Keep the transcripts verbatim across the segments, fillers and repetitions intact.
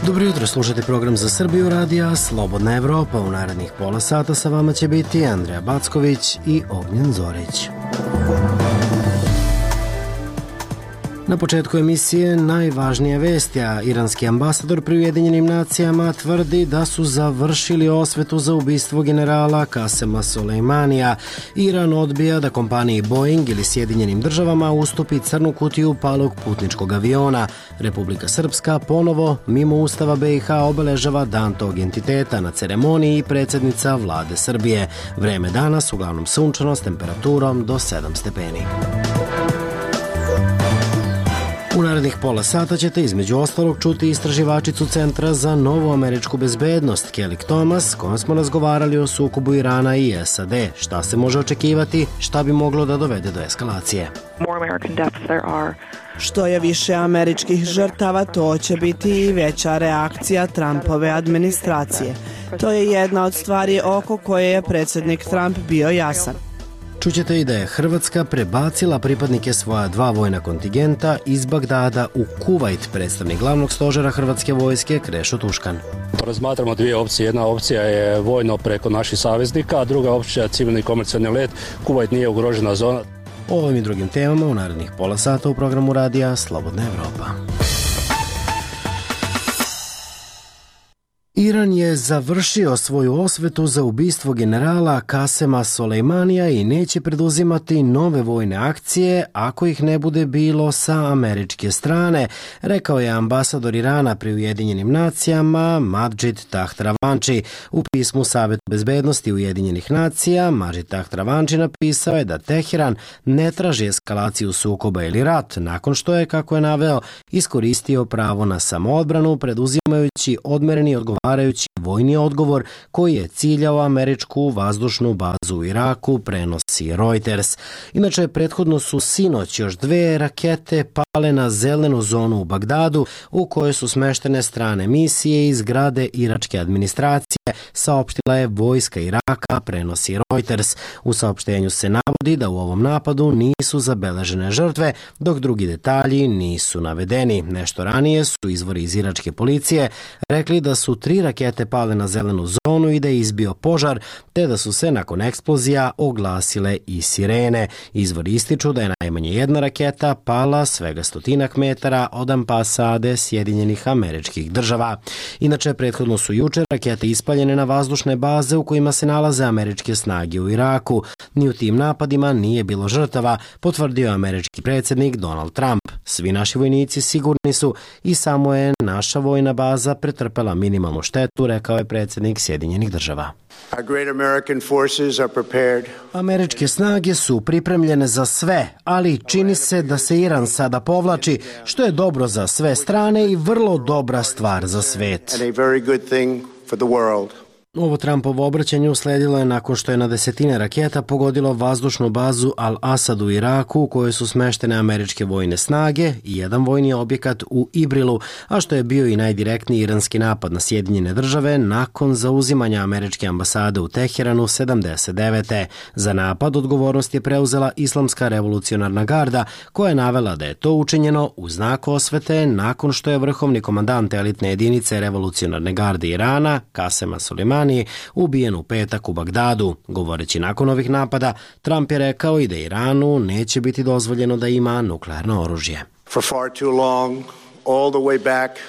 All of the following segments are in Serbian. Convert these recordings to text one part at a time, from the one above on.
Dobro jutro, slušate program za Srbiju radija Slobodna Evropa. U narednih pola sata sa vama će biti Andreja Backović i Ognjen Zorić. Na početku emisije najvažnije vesti, a iranski ambasador pri Ujedinjenim nacijama tvrdi da su završili osvetu za ubistvo generala Kasema Sulejmanija. Iran odbija da kompaniji Boeing ili Sjedinjenim državama ustupi crnu kutiju palog putničkog aviona. Republika Srpska ponovo, mimo Ustava B i H, obeležava dan tog entiteta na ceremoniji predsjednica vlade Srbije. Vreme danas uglavnom sunčano s temperaturom do sedam stepeni. U narednih pola sata ćete između ostalog čuti istraživačicu Centra za novu američku bezbednost Kelly Thomas, s kojom smo razgovarali o sukobu Irana i S A D. Šta se može očekivati, šta bi moglo da dovede do eskalacije. Što je više američkih žrtava, to će biti i veća reakcija Trumpove administracije. To je jedna od stvari oko koje je predsjednik Trump bio jasan. Čućete i da je Hrvatska prebacila pripadnike svoja dva vojna kontingenta iz Bagdada u Kuvajt. Predstavnik glavnog stožera Hrvatske vojske Krešo Tuškan. Razmatramo dvije opcije. Jedna opcija je vojno preko naših saveznika, a druga opcija je civilni komercijalni let. Kuvajt nije ugrožena zona. O ovim i drugim temama u narednih pola sata u programu radija Slobodna Evropa. Iran je završio svoju osvetu za ubistvo generala Kasema Sulejmanija i neće preduzimati nove vojne akcije ako ih ne bude bilo sa američke strane, rekao je ambasador Irana pri Ujedinjenim nacijama Madžid Tahtravanči. U pismu Savetu bezbednosti Ujedinjenih nacija Madžid Tahtravanči napisao je da Teheran ne traži eskalaciju sukoba ili rat, nakon što je, kako je naveo, iskoristio pravo na samoodbranu preduzimajući odmereni odgovarajući vojni odgovor koji je ciljao američku vazdušnu bazu u Iraku, prenosi Reuters. Inače, prethodno su sinoć još dve rakete pale na zelenu zonu u Bagdadu, u kojoj su smeštene strane misije iz zgrade iračke administracije, saopštila je vojska Iraka, prenosi Reuters. U saopštenju se navodi da u ovom napadu nisu zabeležene žrtve, dok drugi detalji nisu navedeni. Nešto ranije su izvori iz iračke policije rekli da su tri rakete pale na zelenu zonu i da je izbio požar, te da su se nakon eksplozija oglasile i sirene. Izvori ističu da je najmanje jedna raketa pala svega stotinak metara od ambasade Sjedinjenih Američkih Država. Inače, prethodno su juče rakete ispaljene na vazdušne baze u kojima se nalaze američke snage u Iraku. Ni u tim napadima nije bilo žrtava, potvrdio američki predsjednik Donald Trump. Svi naši vojnici sigurni su i samo je naša vojna baza pretrpela minimalnu štetu, rekao je predsjednik Sjedinjenih Država. Američke snage su pripremljene za sve, ali čini se da se Iran sada povlači, što je dobro za sve strane i vrlo dobra stvar za svet. Ovo Trumpovo obraćanje usledilo je nakon što je na desetine raketa pogodilo vazdušnu bazu Al-Asad u Iraku, u kojoj su smeštene američke vojne snage i jedan vojni objekat u Ibrilu, a što je bio i najdirektniji iranski napad na Sjedinjene Države nakon zauzimanja američke ambasade u Teheranu sedamdeset devete. Za napad odgovornost je preuzela Islamska revolucionarna garda, koja je navela da je to učinjeno u znak osvete nakon što je vrhovni komandant elitne jedinice revolucionarne garde Irana, Kasema Sulejmanija, ubijen u petak u Bagdadu. Govoreći nakon ovih napada, Trump je rekao i da Iranu neće biti dozvoljeno da ima nuklearno oružje. For far too long, all the way back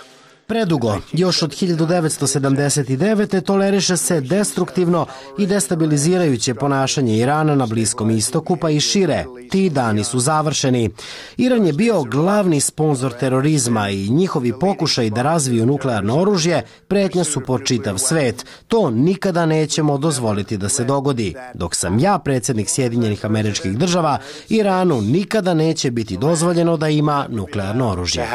Predugo, još od hiljadu devetsto sedamdeset devete. toleriše se destruktivno i destabilizirajuće ponašanje Irana na Bliskom istoku, pa i šire. Ti dani su završeni. Iran je bio glavni sponzor terorizma i njihovi pokušaj da razviju nuklearno oružje pretnja su po čitav svet. To nikada nećemo dozvoliti da se dogodi. Dok sam ja predsjednik Sjedinjenih Američkih Država, Iranu nikada neće biti dozvoljeno da ima nuklearno oružje.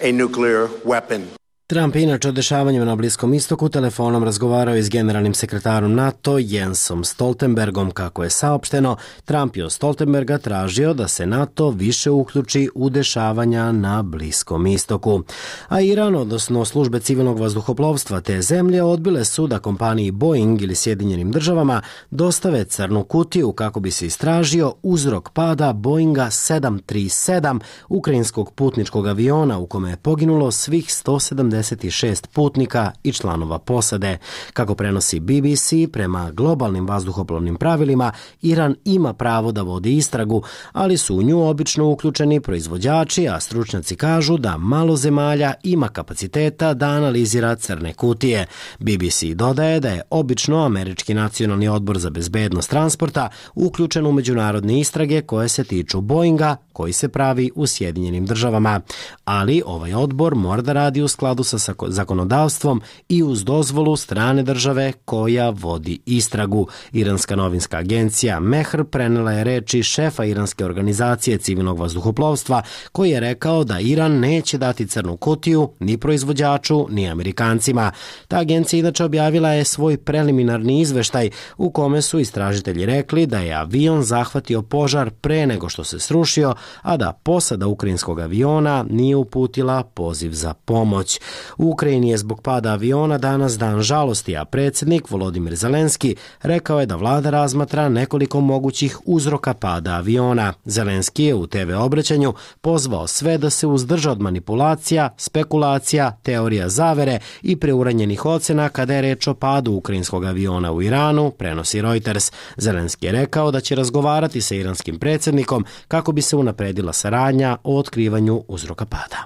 a nuclear weapon. Trump je inače o dešavanjima na Bliskom istoku telefonom razgovarao i s generalnim sekretarom NATO Jensom Stoltenbergom. Kako je saopšteno, Trump je od Stoltenberga tražio da se NATO više uključi u dešavanja na Bliskom istoku. A Iran, odnosno službe civilnog vazduhoplovstva te zemlje, odbile su da kompaniji Boeing ili Sjedinjenim državama dostave crnu kutiju kako bi se istražio uzrok pada Boeinga sedam tri sedam, ukrajinskog putničkog aviona u kome je poginulo svih sto sedamdeset šest putnika i članova posade. Kako prenosi B B C, prema globalnim vazduhoplovnim pravilima, Iran ima pravo da vodi istragu, ali su u nju obično uključeni proizvođači, a stručnjaci kažu da malo zemalja ima kapaciteta da analizira crne kutije. B B C dodaje da je obično Američki nacionalni odbor za bezbednost transporta uključen u međunarodne istrage koje se tiču Boeinga, koji se pravi u Sjedinjenim državama. Ali ovaj odbor mora da radi u skladu sa zakonodavstvom i uz dozvolu strane države koja vodi istragu. Iranska novinska agencija Mehr prenela je reči šefa iranske organizacije civilnog vazduhoplovstva, koji je rekao da Iran neće dati crnu kutiju ni proizvođaču ni Amerikancima. Ta agencija inače objavila je svoj preliminarni izveštaj u kome su istražitelji rekli da je avion zahvatio požar pre nego što se srušio, a da posada ukrajinskog aviona nije uputila poziv za pomoć. U Ukrajini je zbog pada aviona danas dan žalosti, a predsjednik Volodimir Zelenski rekao je da vlada razmatra nekoliko mogućih uzroka pada aviona. Zelenski je u te ve obraćanju pozvao sve da se uzdrže od manipulacija, spekulacija, teorija zavere i preuranjenih ocena kada je reč o padu ukrajinskog aviona u Iranu, prenosi Reuters. Zelenski je rekao da će razgovarati sa iranskim predsjednikom kako bi se unapredila saradnja o otkrivanju uzroka pada.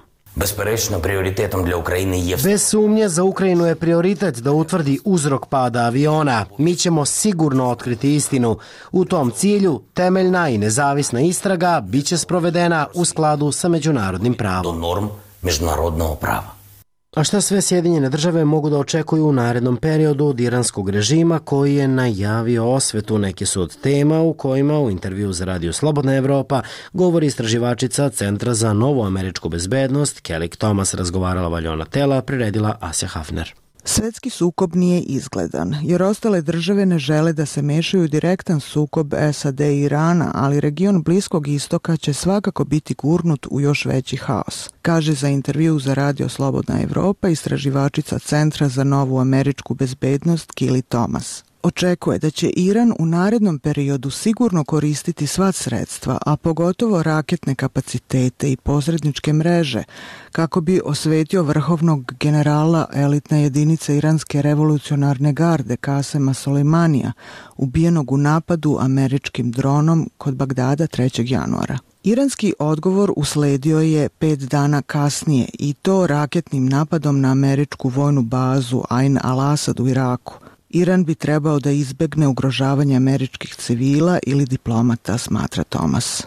Bez sumnje za Ukrajinu je prioritet da utvrdi uzrok pada aviona. Mi ćemo sigurno otkriti istinu. U tom cilju temeljna i nezavisna istraga biće sprovedena u skladu sa međunarodnim pravom. A šta sve Sjedinjene države mogu da očekuju u narednom periodu od iranskog režima koji je najavio osvetu? Neke su od tema u kojima u intervju za Radio Slobodna Evropa govori istraživačica Centra za novu američku bezbednost Kelly Thomas. Razgovarala Valjona Tela, priredila Asja Hafner. Svetski sukob nije izgledan, jer ostale države ne žele da se mešaju u direktan sukob es a de i Irana, ali region Bliskog istoka će svakako biti gurnut u još veći haos, kaže za intervju za Radio Slobodna Evropa istraživačica Centra za novu američku bezbednost Kelly Thomas. Očekuje da će Iran u narednom periodu sigurno koristiti sva sredstva, a pogotovo raketne kapacitete i posredničke mreže, kako bi osvetio vrhovnog generala elitne jedinice iranske revolucionarne garde Kasema Solejmanija, ubijenog u napadu američkim dronom kod Bagdada trećeg januara. Iranski odgovor usledio je pet dana kasnije i to raketnim napadom na američku vojnu bazu Ain al-Asad u Iraku. Iran bi trebao da izbegne ugrožavanje američkih civila ili diplomata, smatra Thomas.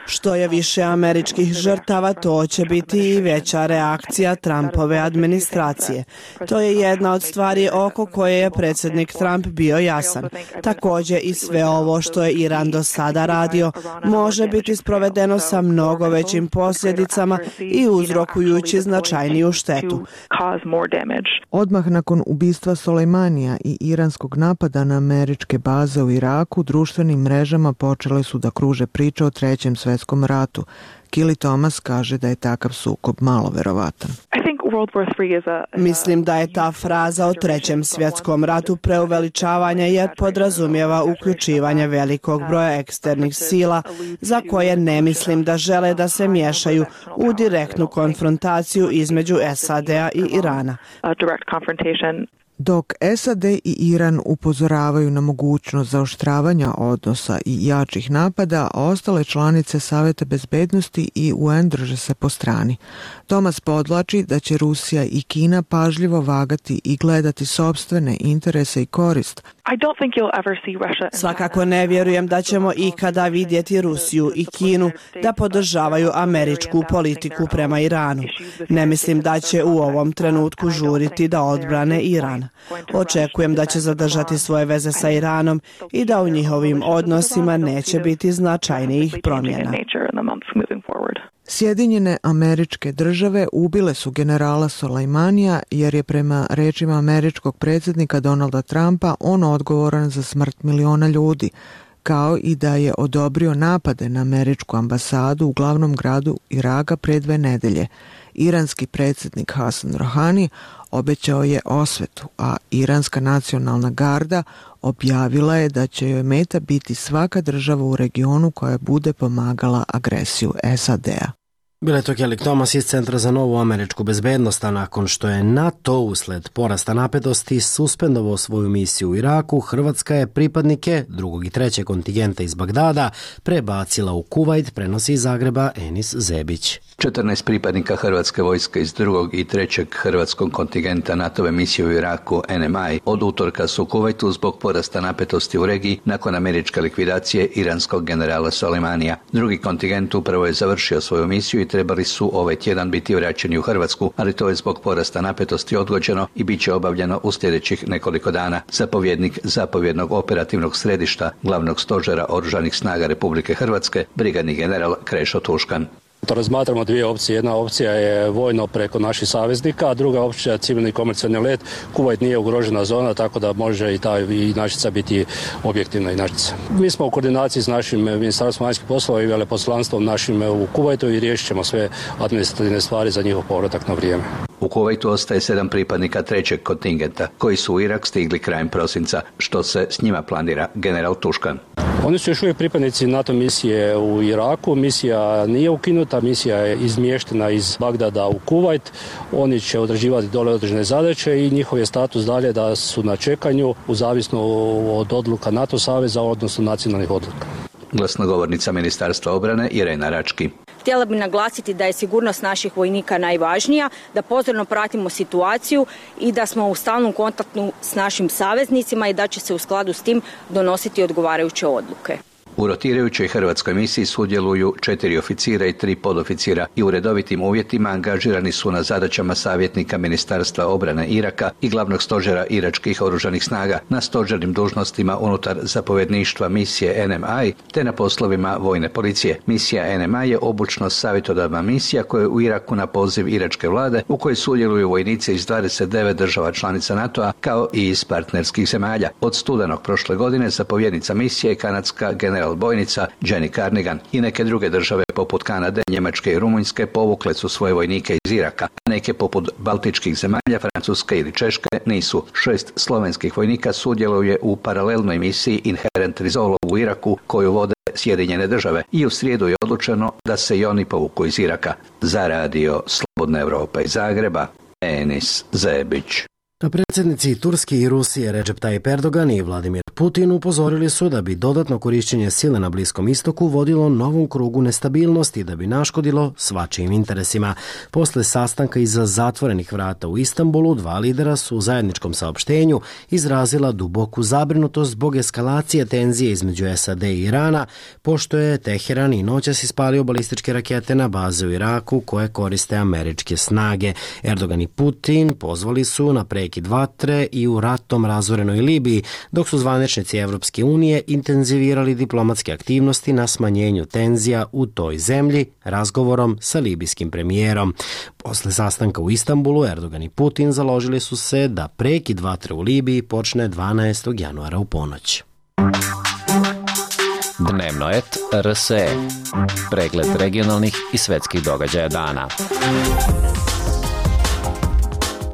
Što je više američkih žrtava, to će biti i veća reakcija Trumpove administracije. To je jedna od stvari oko koje je predsjednik Trump bio jasan. Također i sve ovo što je Iran do sada radio može biti sprovedeno sa mnogo većim posljedicama i uzrokujući značajniju štetu. Odmah nakon ubistva Solejmanija i iranskog napada na američke baze u Iraku, društvenim mrežama počele su da kruže priče o trećem svjetskom ratu. Kelly Thomas kaže da je takav sukob malo verovatan. Mislim da je ta fraza o trećem svjetskom ratu preuveličavanja jer podrazumijeva uključivanje velikog broja eksternih sila za koje ne mislim da žele da se miješaju u direktnu konfrontaciju između es a de-a i Irana. Dok es a de i Iran upozoravaju na mogućnost zaoštravanja odnosa i jačih napada, ostale članice Saveta bezbednosti i u en drže se po strani. Thomas podlači da će Rusija i Kina pažljivo vagati i gledati sopstvene interese i korist. Svakako ne vjerujem da ćemo ikada vidjeti Rusiju i Kinu da podržavaju američku politiku prema Iranu. Ne mislim da će u ovom trenutku žuriti da odbrane Iran. Očekujem da će zadržati svoje veze sa Iranom i da u njihovim odnosima neće biti značajnijih promjena. Sjedinjene Američke Države ubile su generala Soleimanija jer je prema rečima američkog predsjednika Donalda Trumpa on odgovoran za smrt miliona ljudi, kao i da je odobrio napade na američku ambasadu u glavnom gradu Iraka pre dve nedelje. Iranski predsjednik Hasan Rohani obećao je osvetu, a Iranska nacionalna garda objavila je da će joj meta biti svaka država u regionu koja bude pomagala agresiju S A D-a. Bila je to Kelly Thomas iz Centra za novu američku bezbednost, a nakon što je NATO usled porasta napetosti suspendovao svoju misiju u Iraku, Hrvatska je pripadnike drugog i trećeg kontingenta iz Bagdada prebacila u Kuvajt, prenosi iz Zagreba Enis Zebić. četrnaest pripadnika Hrvatske vojske iz drugog i trećeg hrvatskog kontingenta NATO-ve misije u Iraku N M I od utorka su u Kuvajtu zbog porasta napetosti u regiji nakon američke likvidacije iranskog generala Soleimanija. Drugi kontingent upravo je završio svoju misiju i trebali su ovaj tjedan biti vraćeni u Hrvatsku, ali to je zbog porasta napetosti odgođeno i bit će obavljeno u sljedećih nekoliko dana. Zapovjednik zapovjednog operativnog središta glavnog stožera Oružanih snaga Republike Hrvatske, brigadni general Krešo Tuškan. To razmatramo dvije opcije. Jedna opcija je vojno preko naših saveznika, a druga opcija je civilni komercijalni let. Kuvajt nije ugrožena zona, tako da može i ta i inačica biti objektivna inačica. Mi smo u koordinaciji s našim ministarstvom vanjskih poslova i veleposlanstvom našim u Kuvajtu i riješit ćemo sve administrativne stvari za njihov povratak na vrijeme. U Kuvajtu ostaje sedam pripadnika trećeg kontingenta, koji su u Irak stigli krajem prosinca. Što se s njima planira, general Tuškan? Oni su još uvijek pripadnici NATO misije u Iraku. Misija nije ukinuta, misija je izmještena iz Bagdada u Kuvajt. Oni će odrađivati dole određene zadaće i njihov je status dalje da su na čekanju u zavisno od odluka NATO saveza, odnosno nacionalnih odluka. Glasnogovornica Ministarstva obrane Irena Rački. Htjela bih naglasiti da je sigurnost naših vojnika najvažnija, da pozorno pratimo situaciju i da smo u stalnom kontaktu s našim saveznicima i da će se u skladu s tim donositi odgovarajuće odluke. U rotirajućoj hrvatskoj misiji sudjeluju četiri oficira i tri podoficira i u redovitim uvjetima angažirani su na zadaćama savjetnika Ministarstva obrane Iraka i glavnog stožera iračkih oružanih snaga, na stožernim dužnostima unutar zapovjedništva misije N M I te na poslovima vojne policije. Misija N M I je obučno savjetodavna misija koja je u Iraku na poziv iračke vlade, u kojoj sudjeluju vojnici iz dvadeset devet država članica NATO-a kao i iz partnerskih zemalja. Od studenog prošle godine zapovjednica misije je kanadska general bojnica Jenny Carnigan i neke druge države poput Kanade, Njemačke i Rumunjske povukle su svoje vojnike iz Iraka, a neke poput baltičkih zemalja, Francuske ili Češke nisu. Šest slovenskih vojnika sudjeluje u paralelnoj misiji Inherent Resolve u Iraku koju vode Sjedinjene države i u srijedu je odlučeno da se i oni povuku iz Iraka. Za radio Slobodna Europa iz Zagreba, Enis Zebić. Predsjednici Turske i Rusije Recep Tayyip Erdogan i Vladimir Putin upozorili su da bi dodatno korišćenje sile na Bliskom istoku vodilo novom krugu nestabilnosti da bi naškodilo svačijim interesima. Posle sastanka iza zatvorenih vrata u Istanbulu, dva lidera su u zajedničkom saopštenju izrazila duboku zabrinutost zbog eskalacije tenzije između S A D i Irana, pošto je Teheran i noćas ispalio balističke rakete na baze u Iraku koje koriste američke snage. Erdogan i Putin pozvali su na prekid vatre i u ratom razorenoj Libiji, dok su zvaničnici Evropske unije intenzivirali diplomatske aktivnosti na smanjenju tenzija u toj zemlji razgovorom sa libijskim premijerom. Posle sastanka u Istanbulu, Erdogan i Putin založili su se da prekid vatre u Libiji počne dvanaestog januara u ponoć. Dnevno et R S E. Pregled regionalnih i svetskih događaja dana.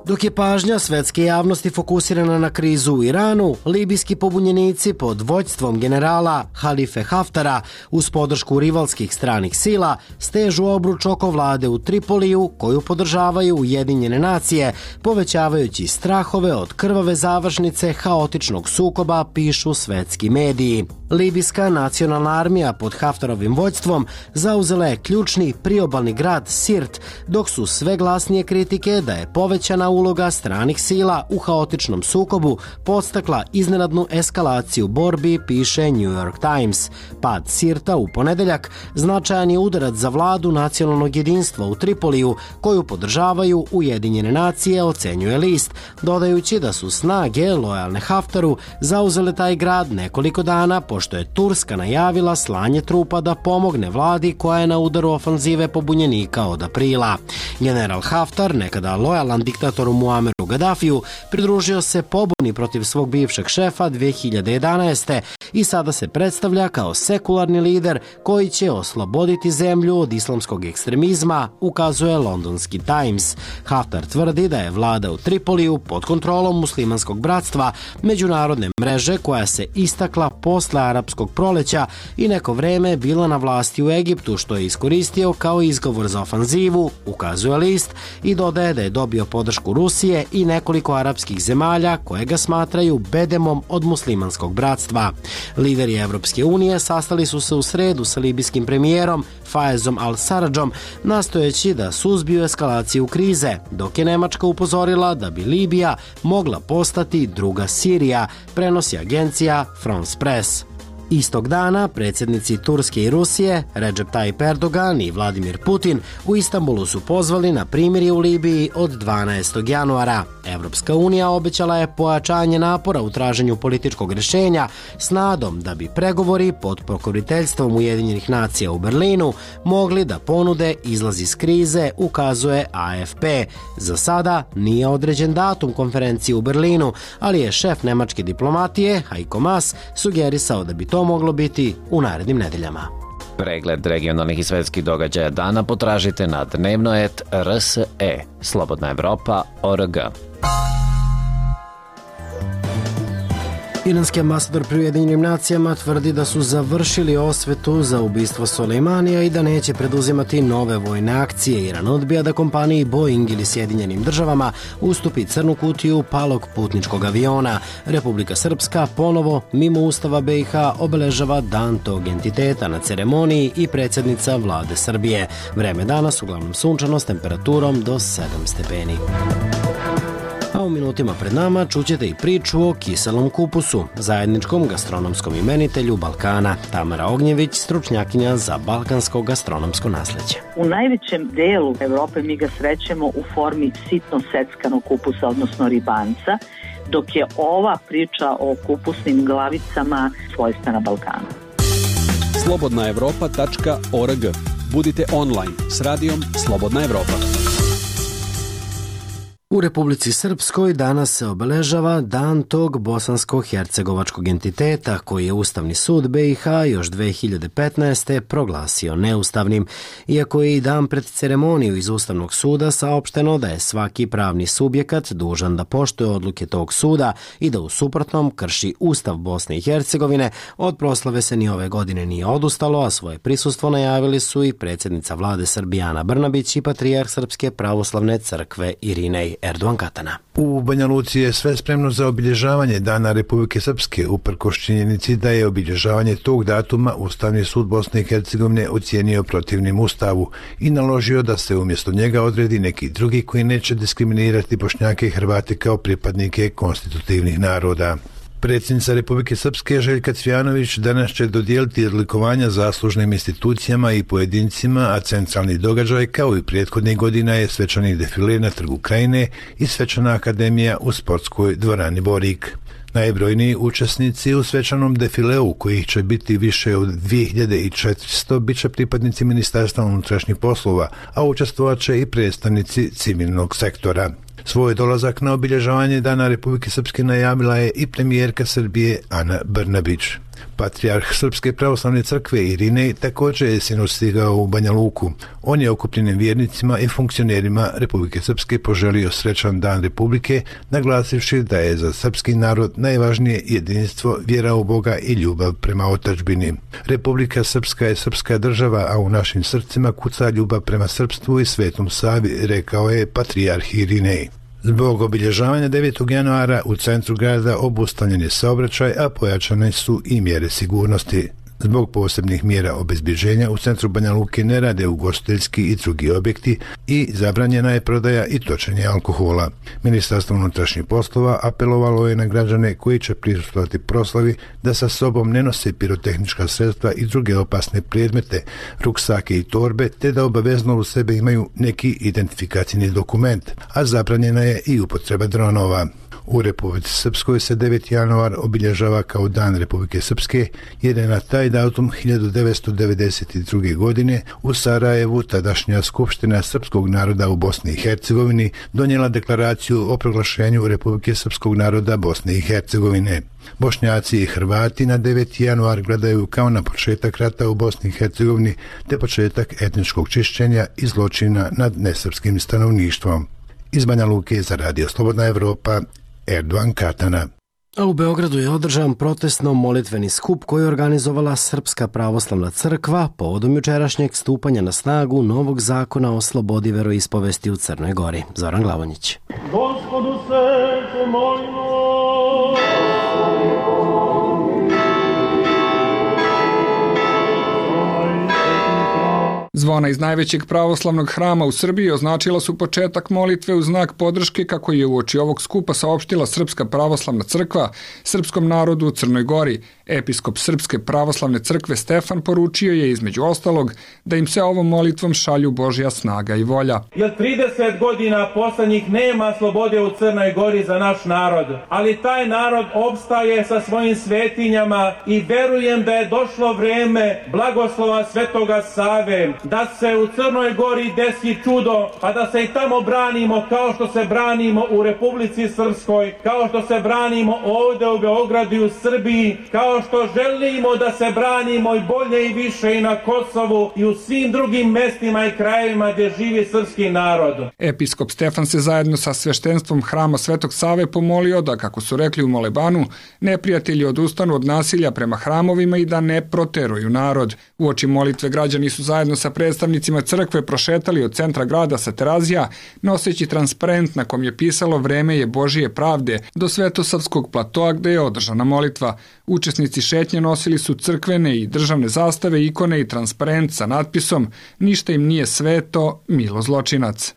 Dok je pažnja svetske javnosti fokusirana na krizu u Iranu, libijski pobunjenici pod vođstvom generala Halife Haftara uz podršku rivalskih stranih sila stežu obruč oko vlade u Tripoliju koju podržavaju Ujedinjene nacije, povećavajući strahove od krvave završnice haotičnog sukoba, pišu svetski mediji. Libijska nacionalna armija pod Haftarovim vođstvom zauzela je ključni priobalni grad Sirt, dok su sve glasnije kritike da je povećana uloga stranih sila u haotičnom sukobu podstakla iznenadnu eskalaciju borbi, piše New York Times. Pad Sirta u ponedeljak značajan je udarac za vladu nacionalnog jedinstva u Tripoliju, koju podržavaju Ujedinjene nacije, ocenjuje list, dodajući da su snage lojalne Haftaru zauzele taj grad nekoliko dana pošto je Turska najavila slanje trupa da pomogne vladi koja je na udaru ofanzive pobunjenika od aprila. General Haftar, nekada lojalan diktatoru Muameru Gaddafiju, pridružio se pobuni protiv svog bivšeg šefa dve hiljade jedanaeste. i sada se predstavlja kao sekularni lider koji će osloboditi zemlju od islamskog ekstremizma, ukazuje londonski Times. Haftar tvrdi da je vlada u Tripoliju pod kontrolom muslimanskog bratstva, međunarodne mreže koja se istakla posle arapskog proleća i neko vreme bila na vlasti u Egiptu, što je iskoristio kao izgovor za ofanzivu, ukazuje list, i dodaje da je dobio podršku Rusije i nekoliko arapskih zemalja koje ga smatraju bedemom od muslimanskog bratstva. Lideri Evropske unije sastali su se u sredu sa libijskim premijerom Faezom al-Saradžom, nastojeći da suzbiju eskalaciju krize, dok je Nemačka upozorila da bi Libija mogla postati druga Sirija, prenosi agencija France Press. Istog dana predsjednici Turske i Rusije, Recep Tayyip Erdogan i Vladimir Putin, u Istanbulu su pozvali na primirje u Libiji od dvanaestog januara. Evropska unija obećala je pojačanje napora u traženju političkog rješenja s nadom da bi pregovori pod pokroviteljstvom Ujedinjenih nacija u Berlinu mogli da ponude izlaz iz krize, ukazuje A F P. Za sada nije određen datum konferencije u Berlinu, ali je šef nemačke diplomatije, Heiko Maas, sugerisao da bi to moglo biti u narednim nedeljama. Pregled regionalnih i svetskih događaja dana potražite na dnevnoet R S E, Slobodna Evropa, O R G. Iranski ambasador pri Ujedinjenim nacijama tvrdi da su završili osvetu za ubistvo Sulejmanija i da neće preduzimati nove vojne akcije. Iran odbija da kompaniji Boeing ili Sjedinjenim državama ustupi crnu kutiju palog putničkog aviona. Republika Srpska ponovo, mimo Ustava B i H, obeležava dan tog entiteta na ceremoniji i predsjednica vlade Srbije. Vreme danas uglavnom sunčano s temperaturom do sedam stepeni. A u minutima pred nama čućete i priču o kiselom kupusu, zajedničkom gastronomskom imenitelju Balkana. Tamara Ognjević, stručnjakinja za balkansko gastronomsko nasleđe. U najvećem delu Evrope mi ga srećemo u formi sitno seckanog kupusa, odnosno ribanca, dok je ova priča o kupusnim glavicama svojstvena Balkanu. slobodna evropa tačka org. Budite online s radijom Slobodna Evropa. U Republici Srpskoj danas se obeležava dan tog bosansko-hercegovačkog entiteta koji je Ustavni sud B i H još dve hiljade petnaeste. proglasio neustavnim. Iako je i dan pred ceremoniju iz Ustavnog suda saopšteno da je svaki pravni subjekat dužan da poštuje odluke tog suda i da u suprotnom krši Ustav Bosne i Hercegovine, od proslave se ni ove godine nije odustalo, a svoje prisustvo najavili su i predsjednica vlade Srbije Ana Brnabić i patrijarh Srpske pravoslavne crkve Irinej Erdogan Katana. U Banja Luci je sve spremno za obilježavanje Dana Republike Srpske, uprkos činjenici da je obilježavanje tog datuma Ustavni sud Bosne i Hercegovine ocijenio protivnim Ustavu i naložio da se umjesto njega odredi neki drugi koji neće diskriminirati Bošnjake i Hrvate kao pripadnike konstitutivnih naroda. Predsjednica Republike Srpske Željka Cvijanović danas će dodijeliti odlikovanja zaslužnim institucijama i pojedincima, a centralni događaj kao i prethodnih godina je svečani defile na Trgu Krajine i svečana akademija u sportskoj dvorani Borik. Najbrojniji učesnici u svečanom defileu, kojih će biti više od dvije hiljade četiristo, bit će pripadnici Ministarstva unutrašnjih poslova, a učestvovat će i predstavnici civilnog sektora. Svoj dolazak na obilježavanje Dana Republike Srpske najavila je i premijerka Srbije Ana Brnabić. Patrijarh Srpske pravoslavne crkve Irinej također je sinoć stigao u Banja Luku. On je okupljenim vjernicima i funkcionerima Republike Srpske poželio srećan Dan Republike, naglasivši da je za srpski narod najvažnije jedinstvo, vjera u Boga i ljubav prema otadžbini. Republika Srpska je srpska država, a u našim srcima kuca ljubav prema srpstvu i Svetom Savi, rekao je patrijarh Irinej. Zbog obilježavanja devetog januara u centru grada obustavljen je saobraćaj, a pojačane su i mjere sigurnosti. Zbog posebnih mjera obezbjeđenja u centru Banja Luke ne rade ugostiteljski i drugi objekti i zabranjena je prodaja i točenje alkohola. Ministarstvo unutrašnjih poslova apelovalo je na građane koji će prisustvovati proslavi da sa sobom ne nose pirotehnička sredstva i druge opasne predmete, ruksake i torbe, te da obavezno u sebe imaju neki identifikacijni dokument, a zabranjena je i upotreba dronova. U Republici Srpskoj se deveti januar obilježava kao Dan Republike Srpske, jer je na taj datum hiljadu devetsto devedeset druge. godine u Sarajevu tadašnja Skupština srpskog naroda u Bosni i Hercegovini donijela deklaraciju o proglašenju Republike Srpskog naroda Bosne i Hercegovine. Bošnjaci i Hrvati na deveti januar gledaju kao na početak rata u Bosni i Hercegovini te početak etničkog čišćenja i zločina nad nesrpskim stanovništvom. Iz Banja Luke za Radio Slobodna Evropa, Erdovan Katana. A u Beogradu je održan protestno-molitveni skup koji je organizovala Srpska pravoslavna crkva povodom jučerašnjeg stupanja na snagu novog zakona o slobodi veroispovesti u Crnoj Gori. Zoran Glavonjić. Gospodu se pomolimo. Zvona iz najvećeg pravoslavnog hrama u Srbiji označila su početak molitve u znak podrške kako je uoči ovog skupa saopštila Srpska pravoslavna crkva srpskom narodu u Crnoj Gori. Episkop Srpske pravoslavne crkve Stefan poručio je između ostalog da im se ovom molitvom šalju Božja snaga i volja. Jer trideset godina poslednjih nema slobode u Crnoj Gori za naš narod, ali taj narod opstaje sa svojim svetinjama i verujem da je došlo vreme blagoslova Svetoga Save, da se u Crnoj Gori desi čudo, pa da se i tamo branimo kao što se branimo u Republici Srpskoj, kao što se branimo ovde u Beogradu i u Srbiji, kao što želimo da se branimo i bolje i više i na Kosovu i u svim drugim mestima i krajevima gdje živi srpski narod. Episkop Stefan se zajedno sa sveštenstvom hrama Svetog Save pomolio da, kako su rekli u molebanu, neprijatelji odustanu od nasilja prema hramovima i da ne proteruju narod. Uoči molitve građani su zajedno sa predstavnicima crkve prošetali od centra grada sa Terazija, noseći transparent na kom je pisalo "Vreme je Božije pravde" do Svetosavskog platoa gde je održana molitva. Učesnici šetnje nosili su crkvene i državne zastave, ikone i transparent sa natpisom "Ništa im nije sveto, milo zločinac".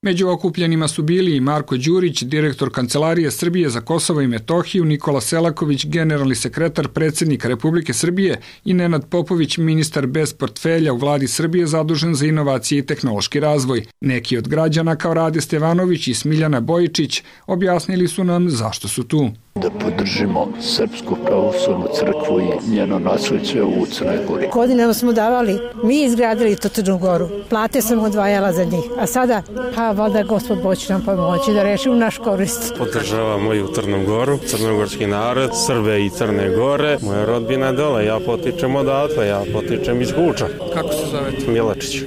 Među okupljenima su bili i Marko Đurić, direktor Kancelarije Srbije za Kosovo i Metohiju, Nikola Selaković, generalni sekretar predsjednika Republike Srbije i Nenad Popović, ministar bez portfelja u vladi Srbije zadužen za inovacije i tehnološki razvoj. Neki od građana kao Rade Stevanović i Smiljana Bojičić objasnili su nam zašto su tu. Da podržimo Srpsku pravoslavnu crkvu i njeno nasleđe u Crnoj Gori. Godinama smo davali, mi izgradili to Crnu Goru, plate sam odvajala za njih, a sada, ha, valjda Gospod Bog će nam pomoći da rešimo naš korist. Podržavamo i u Crnu Goru, crnogorski narod, Srbe i Crne Gore, moja rodbina dole, ja potičem odatle, ja potičem iz Guča. Kako se zovete? Milačić. E,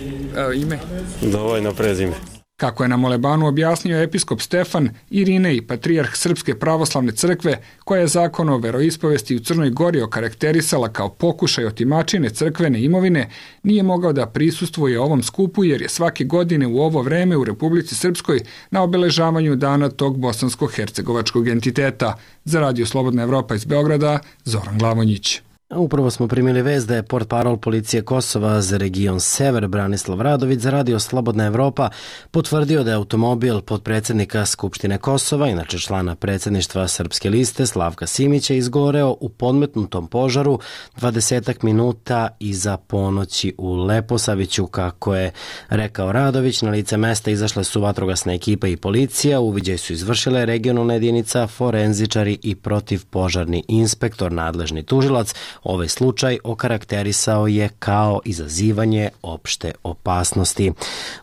ime? Dovoljno prezime. Kako je na molebanu objasnio episkop Stefan, Irinej, patrijarh Srpske pravoslavne crkve, koja je zakon o veroispovesti u Crnoj Gori okarakterisala kao pokušaj otimačine crkvene imovine, nije mogao da prisustvuje ovom skupu jer je svake godine u ovo vreme u Republici Srpskoj na obeležavanju dana tog bosansko-hercegovačkog entiteta. Za Radio Slobodna Evropa iz Beograda, Zoran Glavonjić. Upravo smo primili vest da je portparol policije Kosova za region Sever Branislav Radović za Radio Slobodna Evropa potvrdio da je automobil potpredsjednika Skupštine Kosova, inače člana predsjedništva Srpske liste Slavka Simića, izgoreo u podmetnutom požaru dvadesetak minuta iza ponoći u Leposaviću. Kako je rekao Radović, na lice mesta izašle su vatrogasna ekipa i policija, uviđaj su izvršile regionalna jedinica, forenzičari i protivpožarni inspektor, nadležni tužilac. Ovaj slučaj okarakterisao je kao izazivanje opšte opasnosti.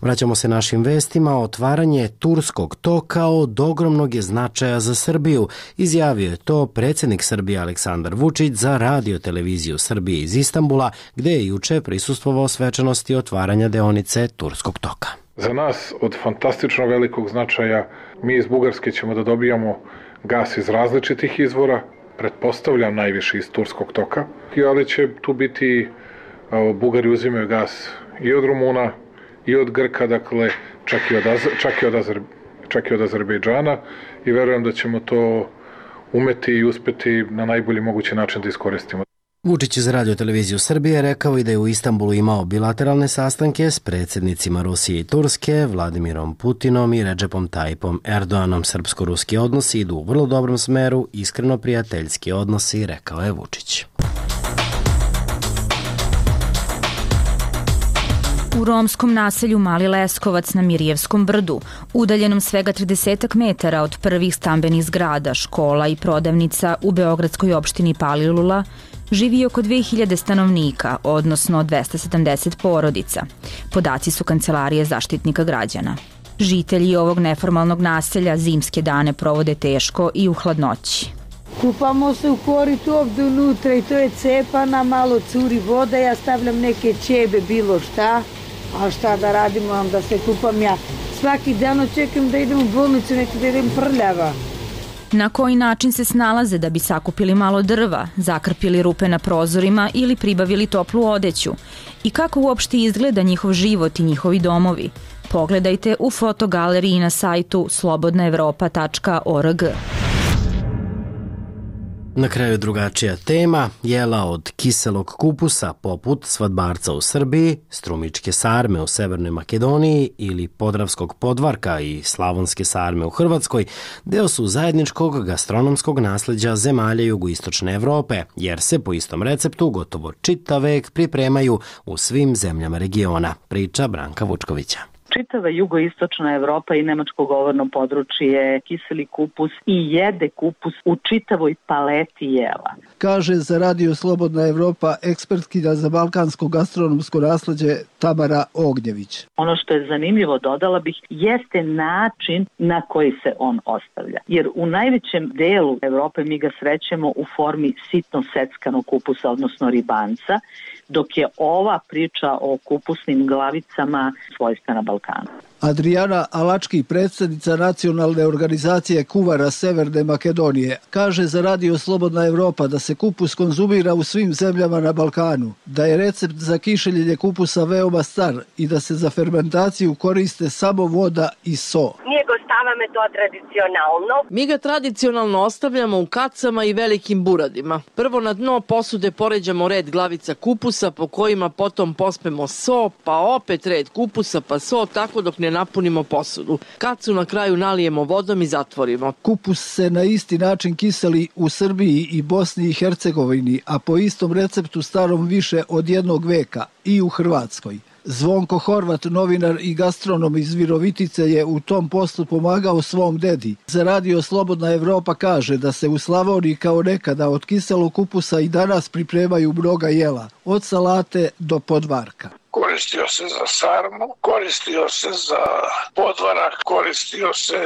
Vraćamo se našim vestima. Otvaranje Turskog toka od ogromnog je značaja za Srbiju. Izjavio je to predsjednik Srbije Aleksandar Vučić za Radio televiziju Srbije iz Istanbula, gde je juče prisustvovao svečanosti otvaranja deonice Turskog toka. Za nas od fantastično velikog značaja, mi iz Bugarske ćemo da dobijamo gas iz različitih izvora, pretpostavljam najviše iz Turskog toka, ali će tu biti, Bugari uzimaju gas i od Rumuna, i od Grka, dakle, čak i od, čak i od, Azer, čak i od Azerbejdžana i verujem da ćemo to umeti i uspeti na najbolji mogući način da iskoristimo. Vučić je za Radio televiziju Srbije rekao i da je u Istanbulu imao bilateralne sastanke s predsjednicima Rusije i Turske, Vladimirom Putinom i Redžepom Tajipom Erdoganom. Srpsko-ruski odnosi idu u vrlo dobrom smeru, iskreno prijateljski odnosi, rekao je Vučić. U romskom naselju Mali Leskovac na Mirjevskom brdu, udaljenom svega tridesetak metara od prvih stambenih zgrada, škola i prodavnica u beogradskoj opštini Palilula, živi oko dve hiljade stanovnika, odnosno dvesta sedamdeset porodica. Podaci su Kancelarije Zaštitnika građana. Žitelji ovog neformalnog naselja zimske dane provode teško i u hladnoći. Kupamo se u koritu ovdje unutra i to je cepana, malo curi voda, ja stavljam neke ćebe, bilo šta, a šta da radimo, onda se kupam ja. Svaki dan očekam da idem u bolnicu, neki da idem prljava. Na koji način se snalaze da bi sakupili malo drva, zakrpili rupe na prozorima ili pribavili toplu odeću? I kako uopšte izgleda njihov život i njihovi domovi? Pogledajte u fotogaleriji na sajtu slobodna evropa tačka org. Na kraju drugačija tema, jela od kiselog kupusa poput svadbarca u Srbiji, strumičke sarme u Severnoj Makedoniji ili podravskog podvarka i slavonske sarme u Hrvatskoj deo su zajedničkog gastronomskog nasleđa zemalja jugoistočne Evrope, jer se po istom receptu gotovo čitav vek pripremaju u svim zemljama regiona, priča Branka Vučkovića. Čitava jugoistočna Evropa i nemačko govorno područje kiseli kupus i jede kupus u čitavoj paleti jela. Kaže za Radio Slobodna Evropa ekspertkinja za balkansko gastronomsko nasleđe Tamara Ognjević. Ono što je zanimljivo, dodala bih, jeste način na koji se on ostavlja. Jer u najvećem delu Evrope mi ga srećemo u formi sitno seckanog kupusa, odnosno ribanca, dok je ova priča o kupusnim glavicama svojstvena Balkanu. Adriana Alački, predsjednica nacionalne organizacije kuvara Severne Makedonije, kaže za Radio Slobodna Evropa da se kupus konzumira u svim zemljama na Balkanu, da je recept za kišeljenje kupusa veoma star i da se za fermentaciju koriste samo voda i so. Nije go stavame to tradicionalno. Mi ga tradicionalno ostavljamo u kacama i velikim buradima. Prvo na dno posude poređamo red glavica kupusa po kojima potom pospemo so, pa opet red kupusa pa so, tako dok ne napunimo posudu. Kacu na kraju nalijemo vodom i zatvorimo. Kupus se na isti način kiseli u Srbiji i Bosni i Hercegovini, a po istom receptu starom više od jednog veka i u Hrvatskoj. Zvonko Horvat, novinar i gastronom iz Virovitice, je u tom poslu pomagao svom dedi. Za Radio Slobodna Evropa kaže da se u Slavoniji kao nekada od kiselog kupusa i danas pripremaju mnoga jela, od salate do podvarka. Koristio se za sarmu, koristio se za podvarak, koristio se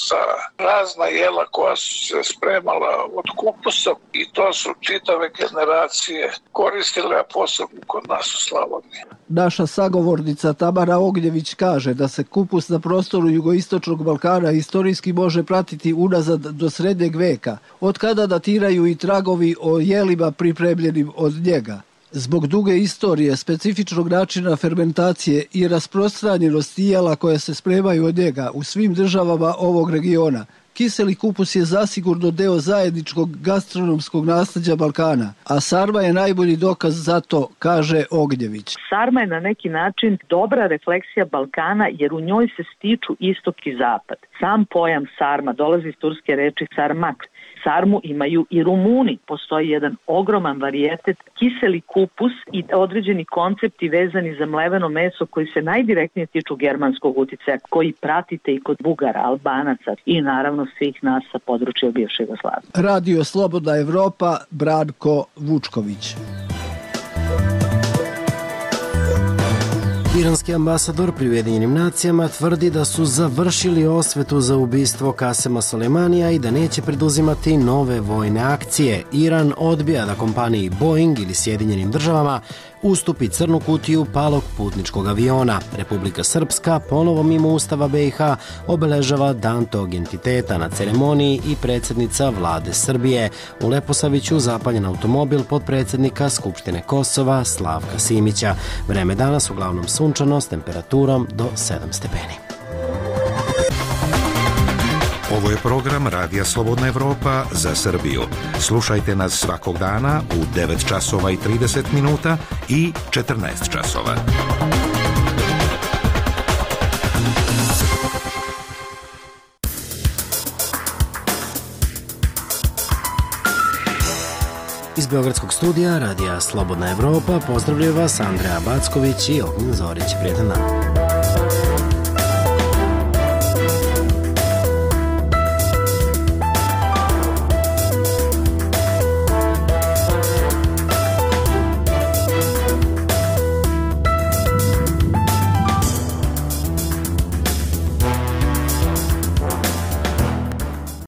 za razna jela koja su se spremala od kupusa i to su čitave generacije koristile, a posebno kod nas u Slavoniji. Naša sagovornica Tamara Ognjević kaže da se kupus na prostoru jugoistočnog Balkana istorijski može pratiti unazad do srednjeg veka, od kada datiraju i tragovi o jelima pripremljenim od njega. Zbog duge istorije, specifičnog načina fermentacije i rasprostranjenosti jela koje se spremaju od njega u svim državama ovog regiona, kiseli kupus je zasigurno deo zajedničkog gastronomskog nasleđa Balkana, a sarma je najbolji dokaz za to, kaže Ognjević. Sarma je na neki način dobra refleksija Balkana jer u njoj se stiču istok i zapad. Sam pojam sarma dolazi iz turske reči sarmak. Sarmu imaju i Rumuni. Postoji jedan ogroman varijetet, kiseli kupus i određeni koncepti vezani za mleveno meso koji se najdirektnije tiču germanskog uticaja, koji pratite i kod Bugara, Albanaca i naravno svih nas sa područja bivše Jugoslavije. Radio Slobodna Evropa, Branko Vučković. Iranski ambasador pri Ujedinjenim nacijama tvrdi da su završili osvetu za ubistvo Kasema Soleimanija i da neće preduzimati nove vojne akcije. Iran odbija da kompaniji Boeing ili Sjedinjenim državama ustupi crnu kutiju palog putničkog aviona. Republika Srpska ponovo mimo Ustava B i H obeležava dan tog entiteta na ceremoniji i predsjednica vlade Srbije. U Leposaviću zapaljen automobil podpredsjednika Skupštine Kosova Slavka Simića. Vreme danas uglavnom sunčano s temperaturom do sedam stepeni. Ovo je program Radija Slobodna Evropa za Srbiju. Slušajte nas svakog dana u devet časova i trideset minuta i četrnaest časova. Iz Beogradskog studija Radija Slobodna Evropa pozdravljaju vas Andreja Backović i Ognjen Zorić. Prijetan dan.